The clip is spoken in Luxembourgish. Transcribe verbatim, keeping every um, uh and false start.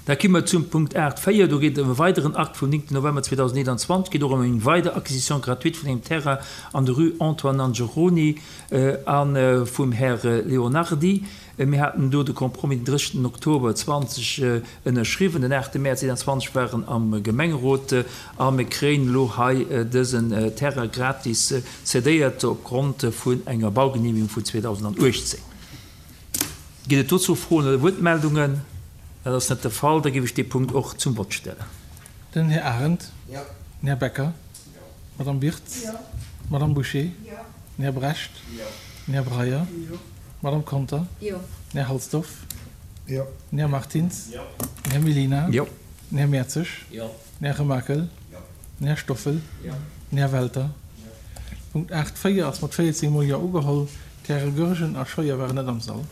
Da komme mer zum Punkt aacht véier. Do geet et ëm e weideren Akt vum néngten November zweedausendeenanzwanzeg. Et geet och ëm eng weider Acquisition gratuite vun engem Terrain an der Rue Antoine Nangeroni a vum Här Leonardi. Mir haten do de Compromis den drëssegsten Oktober zwanzeg ënnerschriwwen. Den aachte Mäerz eenanzwanzeg war en am Gemengerot a mir kréien elo hei dësen Terrain gratis cedéiert opgrond vun enger Baugenehmigung vun zweedausenduechtzéng. Ginn et dozou Froen oder Wuertmeldungen? Dat ass net de Fall. Da géif ech dee Punkt och zum Vott stellen. Den Här Arendt. Jo. Den Här Becker. Jo. D'Madame Birtz. Jo. D'Madame Bouché. Jo. Den Här Brecht. Jo. Den Här Breyer. Jo. D'Madame Conter. Jo. Den Här Halsdorf. Jo. Den Här Martins. Jo. Den Här Mellina. Jo. Den Här Mertzig. Jo. Den Här Remakel. Jo. Den Här Stoffel. Jo. Den Här Welter. Jo. Punkt aacht véier ass mat véierzéng Mol Jo ugeholl. D'Häre Goergen a Scheuer waren net am Sall.